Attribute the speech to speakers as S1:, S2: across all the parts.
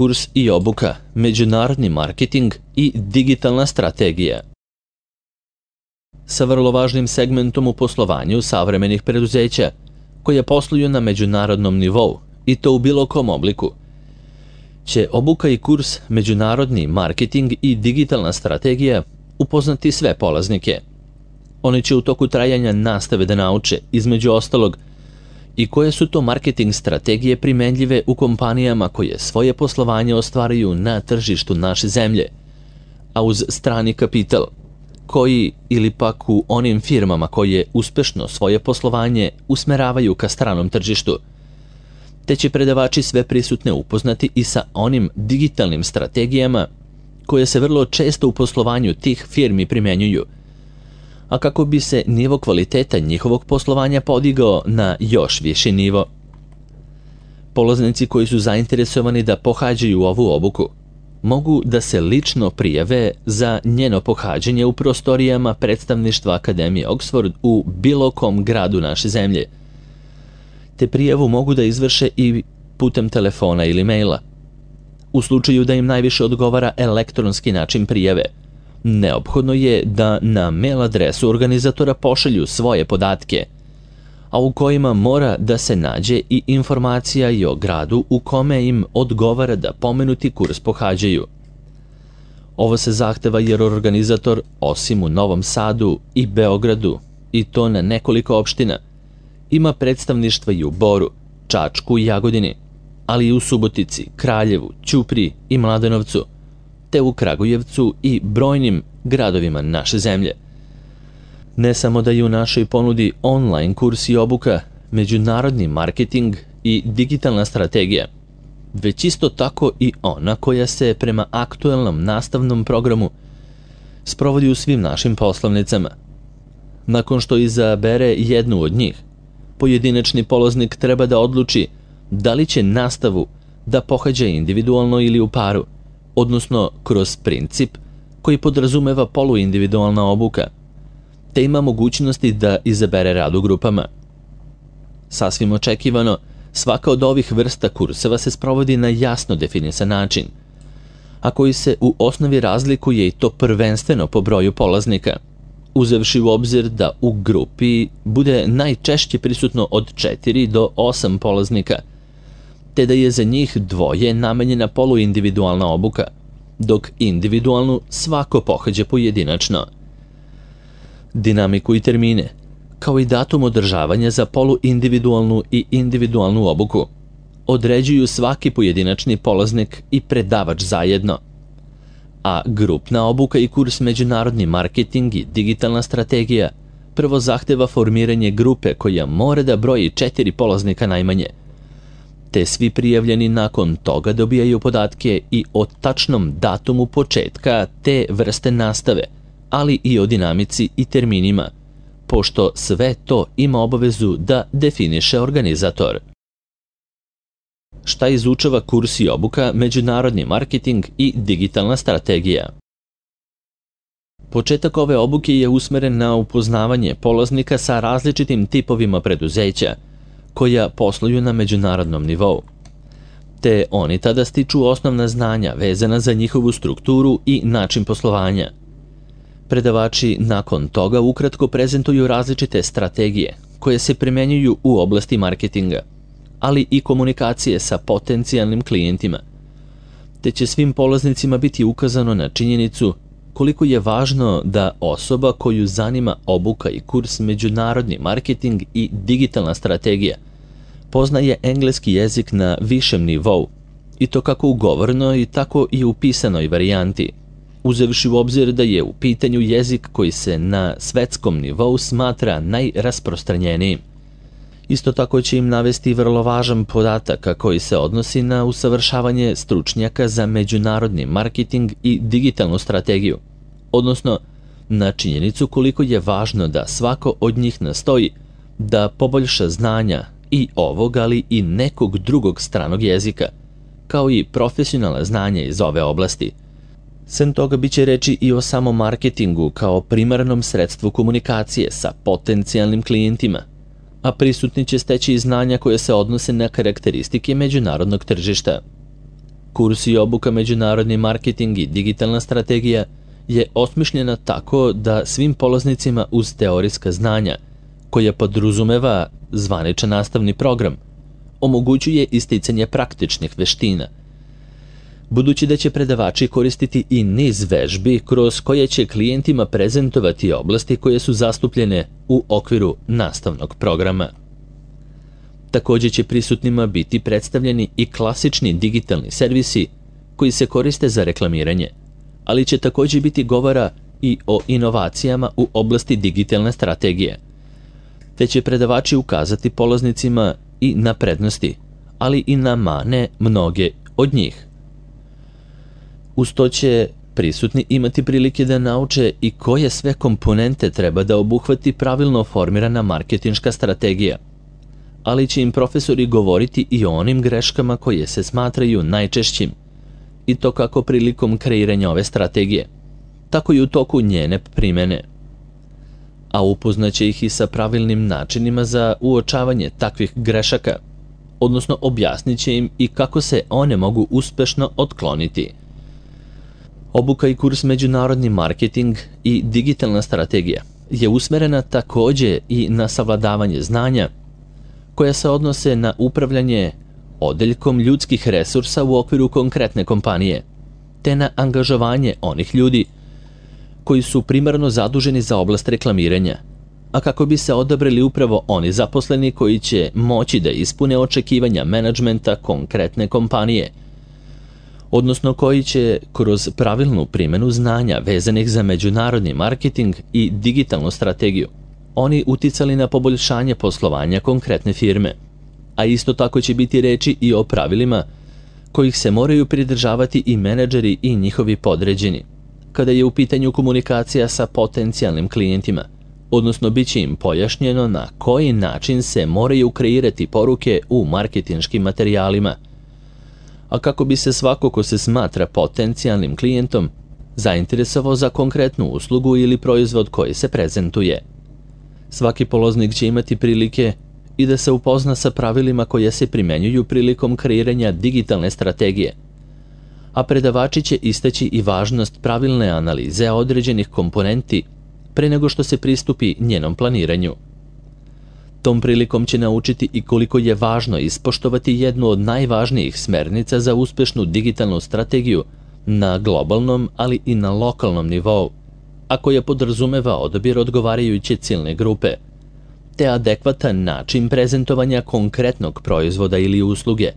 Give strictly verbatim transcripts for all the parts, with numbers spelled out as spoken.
S1: kurs i obuka, međunarodni marketing i digitalna strategija. Sa vrlo važnim segmentom u poslovanju savremenih preduzeća, koje posluju na međunarodnom nivou, i to u bilo kom obliku, će obuka i kurs međunarodni marketing i digitalna strategija upoznati sve polaznike. Oni će u toku trajanja nastave da nauče, između ostalog, i koje su to marketing strategije primenljive u kompanijama koje svoje poslovanje ostvaruju na tržištu naše zemlje, a uz strani kapital, koji ili pak u onim firmama koje uspešno svoje poslovanje usmeravaju ka stranom tržištu, te će predavači sve prisutne upoznati i sa onim digitalnim strategijama koje se vrlo često u poslovanju tih firmi primenjuju, a kako bi se nivo kvaliteta njihovog poslovanja podigao na još viši nivo. Polaznici koji su zainteresovani da pohađaju ovu obuku mogu da se lično prijave za njeno pohađanje u prostorijama predstavništva Akademije Oxford u bilo kom gradu naše zemlje, te prijavu mogu da izvrše i putem telefona ili maila. U slučaju da im najviše odgovara elektronski način prijave, neophodno je da na mail adresu organizatora pošalju svoje podatke, a u kojima mora da se nađe i informacija i o gradu u kome im odgovara da pomenuti kurs pohađaju. Ovo se zahteva jer organizator, osim u Novom Sadu i Beogradu, i to na nekoliko opština, ima predstavništva i u Boru, Čačku i Jagodini, ali i u Subotici, Kraljevu, Ćupriji i Mladenovcu, te u Kragujevcu i brojnim gradovima naše zemlje. Ne samo da je u našoj ponudi online kurs i obuka, međunarodni marketing i digitalna strategija, već isto tako i ona koja se prema aktuelnom nastavnom programu sprovodi u svim našim poslovnicama. Nakon što izabere jednu od njih, pojedinačni polaznik treba da odluči da li će nastavu da pohađa individualno ili u paru, odnosno kroz princip koji podrazumeva poluindividualna obuka, te ima mogućnosti da izabere rad u grupama. Sasvim očekivano, svaka od ovih vrsta kurseva se sprovodi na jasno definisan način, a koji se u osnovi razlikuje i to prvenstveno po broju polaznika, uzevši u obzir da u grupi bude najčešće prisutno od četiri do osam polaznika, te da je za njih dvoje namenjena poluindividualna obuka, dok individualnu svako pohađa pojedinačno. Dinamiku i termine, kao i datum održavanja za poluindividualnu i individualnu obuku, određuju svaki pojedinačni polaznik i predavač zajedno, a grupna obuka i kurs međunarodni marketing i digitalna strategija prvo zahteva formiranje grupe koja mora da broji četiri polaznika najmanje, te svi prijavljeni nakon toga dobijaju podatke i o tačnom datumu početka te vrste nastave, ali i o dinamici i terminima, pošto sve to ima obavezu da definiše organizator. Šta izučava kurs i obuka međunarodni marketing i digitalna strategija? Početak ove obuke je usmeren na upoznavanje polaznika sa različitim tipovima preduzeća koja posluju na međunarodnom nivou, te oni tada stiču osnovna znanja vezana za njihovu strukturu i način poslovanja. Predavači nakon toga ukratko prezentuju različite strategije koje se primenjuju u oblasti marketinga, ali i komunikacije sa potencijalnim klijentima, te će svim polaznicima biti ukazano na činjenicu koliko je važno da osoba koju zanima obuka i kurs međunarodni marketing i digitalna strategija poznaje engleski jezik na višem nivou, i to kako u govornoj, tako i u pisanoj varijanti, uzevši u obzir da je u pitanju jezik koji se na svetskom nivou smatra najrasprostranjenijim. Isto tako će im navesti vrlo važan podatak koji se odnosi na usavršavanje stručnjaka za međunarodni marketing i digitalnu strategiju, odnosno na činjenicu koliko je važno da svako od njih nastoji da poboljša znanja i ovog, ali i nekog drugog stranog jezika, kao i profesionalna znanja iz ove oblasti. Sem toga biće reči i o samom marketingu kao primarnom sredstvu komunikacije sa potencijalnim klijentima, a prisutni će steći i znanja koje se odnose na karakteristike međunarodnog tržišta. Kurs i obuka Međunarodni marketing i digitalna strategija je osmišljena tako da svim polaznicima uz teorijska znanja, koja podrazumeva zvaničan nastavni program, omogućuje isticanje praktičnih veština. Budući da će predavači koristiti i niz vežbi kroz koje će klijentima prezentovati oblasti koje su zastupljene u okviru nastavnog programa. Također će prisutnima biti predstavljeni i klasični digitalni servisi koji se koriste za reklamiranje, ali će također biti govora i o inovacijama u oblasti digitalne strategije, te će predavači ukazati polaznicima i na prednosti, ali i na mane mnoge od njih. Uz to će prisutni imati prilike da nauče i koje sve komponente treba da obuhvati pravilno formirana marketinška strategija, ali će im profesori govoriti i o onim greškama koje se smatraju najčešćim, i to kako prilikom kreiranja ove strategije, tako i u toku njene primjene. A upoznaće ih i sa pravilnim načinima za uočavanje takvih grešaka, odnosno objasnit će im i kako se one mogu uspešno otkloniti. Obuka i kurs Međunarodni marketing i digitalna strategija je usmerena također i na savladavanje znanja koja se odnose na upravljanje odeljkom ljudskih resursa u okviru konkretne kompanije, te na angažovanje onih ljudi koji su primarno zaduženi za oblast reklamiranja, a kako bi se odabrali upravo oni zaposleni koji će moći da ispune očekivanja menadžmenta konkretne kompanije, odnosno koji će kroz pravilnu primjenu znanja vezanih za međunarodni marketing i digitalnu strategiju oni uticali na poboljšanje poslovanja konkretne firme, a isto tako će biti reči i o pravilima kojih se moraju pridržavati i menadžeri i njihovi podređeni, kada je u pitanju komunikacija sa potencijalnim klijentima, odnosno bit će im pojašnjeno na koji način se moraju kreirati poruke u marketinškim materijalima, a kako bi se svako ko se smatra potencijalnim klijentom zainteresovao za konkretnu uslugu ili proizvod koji se prezentuje. Svaki polaznik će imati prilike i da se upozna sa pravilima koje se primjenjuju prilikom kreiranja digitalne strategije, a predavači će istaći i važnost pravilne analize određenih komponenti pre nego što se pristupi njenom planiranju. Tom prilikom će naučiti i koliko je važno ispoštovati jednu od najvažnijih smernica za uspešnu digitalnu strategiju na globalnom, ali i na lokalnom nivou, a koja podrazumeva odabir odgovarajuće ciljne grupe, te adekvatan način prezentovanja konkretnog proizvoda ili usluge,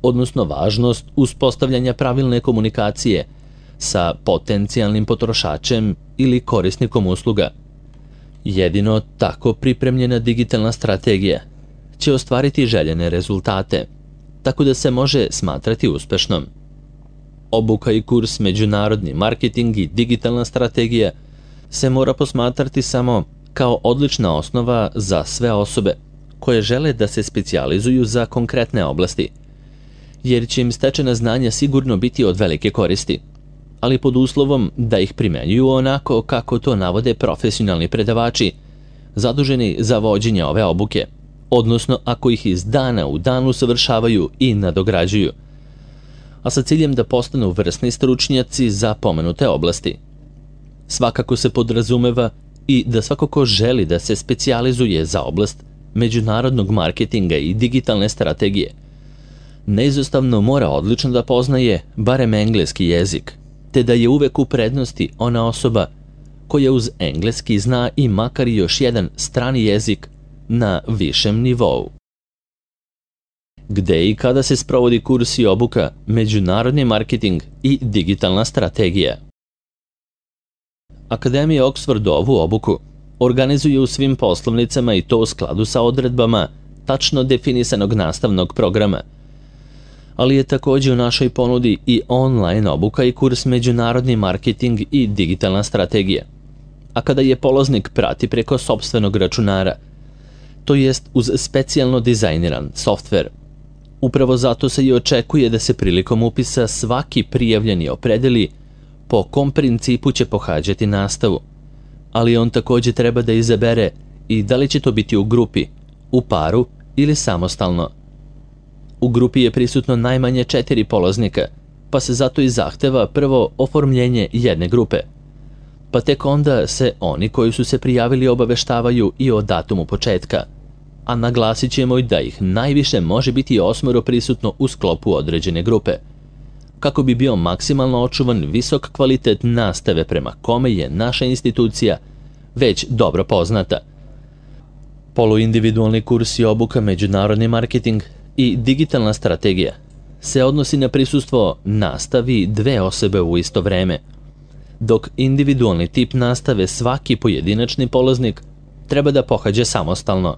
S1: odnosno važnost uspostavljanja pravilne komunikacije sa potencijalnim potrošačem ili korisnikom usluga. Jedino tako pripremljena digitalna strategija će ostvariti željene rezultate, tako da se može smatrati uspešnom. Obuka i kurs Međunarodni marketing i digitalna strategija se mora posmatrati samo kao odlična osnova za sve osobe koje žele da se specijalizuju za konkretne oblasti, jer će im stečena znanja sigurno biti od velike koristi, ali pod uslovom da ih primenjuju onako kako to navode profesionalni predavači zaduženi za vođenje ove obuke, odnosno ako ih iz dana u dan usavršavaju i nadograđuju, a sa ciljem da postanu vrsni stručnjaci za pomenute oblasti. Svakako se podrazumeva i da svako ko želi da se specijalizuje za oblast međunarodnog marketinga i digitalne strategije, neizostavno mora odlično da poznaje barem engleski jezik, te da je uvek u prednosti ona osoba koja uz engleski zna i makar još jedan strani jezik na višem nivou. Gde i kada se sprovodi kurs i obuka Međunarodni marketing i digitalna strategija? Akademija Oxford ovu obuku organizuje u svim poslovnicama i to u skladu sa odredbama tačno definisanog nastavnog programa, ali je također u našoj ponudi i online obuka i kurs Međunarodni marketing i digitalna strategija, a kada je polaznik prati preko sopstvenog računara, to jest uz specijalno dizajniran softver. Upravo zato se i očekuje da se prilikom upisa svaki prijavljeni opredeli po kom principu će pohađati nastavu, ali on također treba da izabere i da li će to biti u grupi, u paru ili samostalno. U grupi je prisutno najmanje četiri polaznika pa se zato i zahteva prvo oformljenje jedne grupe. Pa tek onda se oni koji su se prijavili obaveštavaju i o datumu početka, a naglasit ćemo i da ih najviše može biti osmoro prisutno u sklopu određene grupe, kako bi bio maksimalno očuvan visok kvalitet nastave prema kome je naša institucija već dobro poznata. Poluindividualni kurs i obuka međunarodni marketing i digitalna strategija se odnosi na prisustvo nastavi dve osobe u isto vreme, dok individualni tip nastave svaki pojedinačni polaznik treba da pohađa samostalno.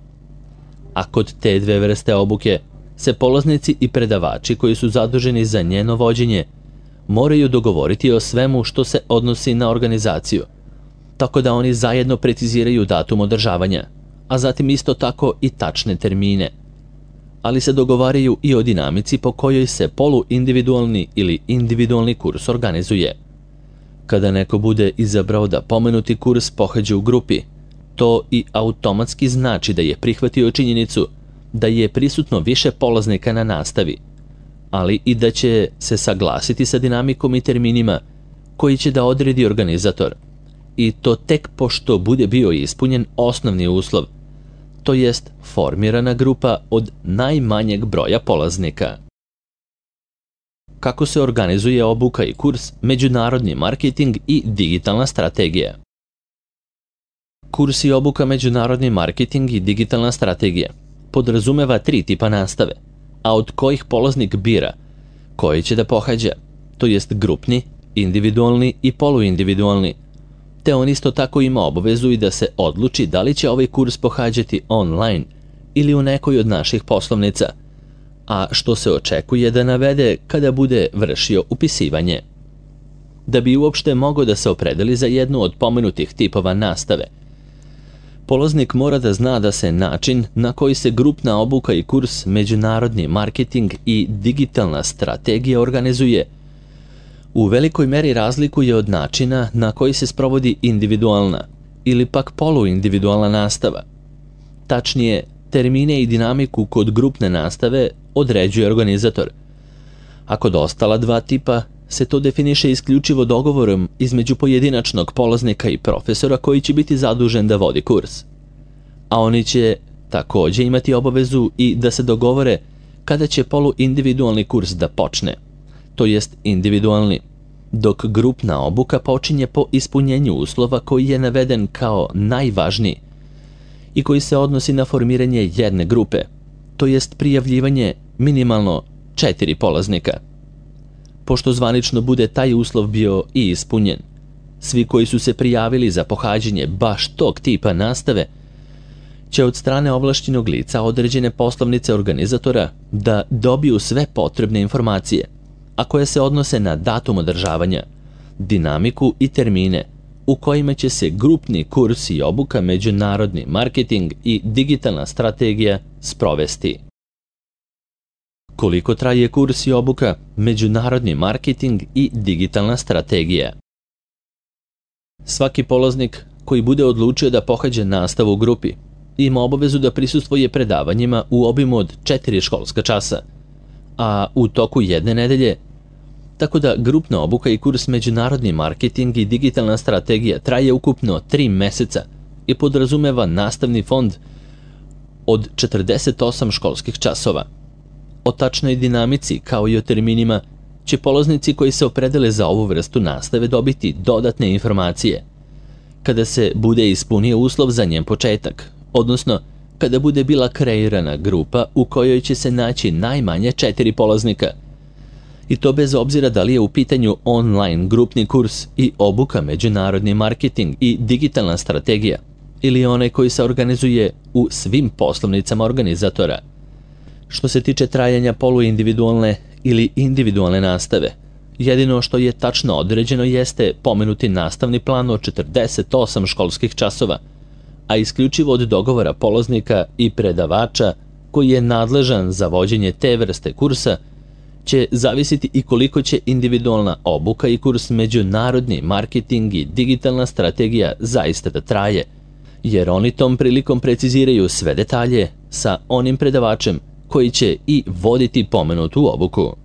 S1: A kod te dve vrste obuke se polaznici i predavači koji su zaduženi za njeno vođenje moraju dogovoriti o svemu što se odnosi na organizaciju, tako da oni zajedno preciziraju datum održavanja, a zatim isto tako i tačne termine, ali se dogovaraju i o dinamici po kojoj se poluindividualni ili individualni kurs organizuje. Kada neko bude izabrao da pomenuti kurs pohađa u grupi, to i automatski znači da je prihvatio činjenicu da je prisutno više polaznika na nastavi, ali i da će se saglasiti sa dinamikom i terminima koji će da odredi organizator, i to tek pošto bude bio ispunjen osnovni uslov, to jest formirana grupa od najmanjeg broja polaznika. Kako se organizuje obuka i kurs međunarodni marketing i digitalna strategija? Kurs i obuka međunarodni marketing i digitalna strategija podrazumeva tri tipa nastave, a od kojih polaznik bira koji će da pohađa, to jest grupni, individualni i poluindividualni, te on isto tako ima obavezu i da se odluči da li će ovaj kurs pohađati online ili u nekoj od naših poslovnica, a što se očekuje da navede kada bude vršio upisivanje. Da bi uopšte mogao da se opredeli za jednu od pomenutih tipova nastave, polaznik mora da zna da se način na koji se grupna obuka i kurs međunarodni marketing i digitalna strategija organizuje u velikoj meri razlikuje od načina na koji se sprovodi individualna ili pak poluindividualna nastava. Tačnije, termine i dinamiku kod grupne nastave određuje organizator, a kod ostala dva tipa se to definiše isključivo dogovorom između pojedinačnog polaznika i profesora koji će biti zadužen da vodi kurs. A oni će takođe imati obavezu i da se dogovore kada će poluindividualni kurs da počne, to jest individualni, dok grupna obuka počinje po ispunjenju uslova koji je naveden kao najvažniji i koji se odnosi na formiranje jedne grupe, to jest prijavljivanje minimalno četiri polaznika. Pošto zvanično bude taj uslov bio i ispunjen, svi koji su se prijavili za pohađanje baš tog tipa nastave će od strane ovlašćenog lica određene poslovnice organizatora da dobiju sve potrebne informacije, a koje se odnose na datum održavanja, dinamiku i termine u kojima će se grupni kurs i obuka međunarodni marketing i digitalna strategija sprovesti. Koliko traje kurs i obuka međunarodni marketing i digitalna strategija? Svaki polaznik koji bude odlučio da pohađa nastavu u grupi ima obavezu da prisustvuje predavanjima u obimu od četiri školska časa, a u toku jedne nedelje, tako da grupna obuka i kurs međunarodni marketing i digitalna strategija traje ukupno tri meseca i podrazumeva nastavni fond od četrdeset osam školskih časova. O tačnoj dinamici kao i o terminima će polaznici koji se opredele za ovu vrstu nastave dobiti dodatne informacije kada se bude ispunio uslov za njen početak, odnosno kada bude bila kreirana grupa u kojoj će se naći najmanje četiri polaznika, i to bez obzira da li je u pitanju online grupni kurs i obuka međunarodni marketing i digitalna strategija ili onaj koji se organizuje u svim poslovnicama organizatora. Što se tiče trajanja poluindividualne ili individualne nastave, jedino što je tačno određeno jeste pomenuti nastavni plan od četrdeset osam školskih časova, a isključivo od dogovora polaznika i predavača koji je nadležan za vođenje te vrste kursa će zavisiti i koliko će individualna obuka i kurs međunarodni marketing i digitalna strategija zaista da traje, jer oni tom prilikom preciziraju sve detalje sa onim predavačem koji će i voditi pomenutu obuku.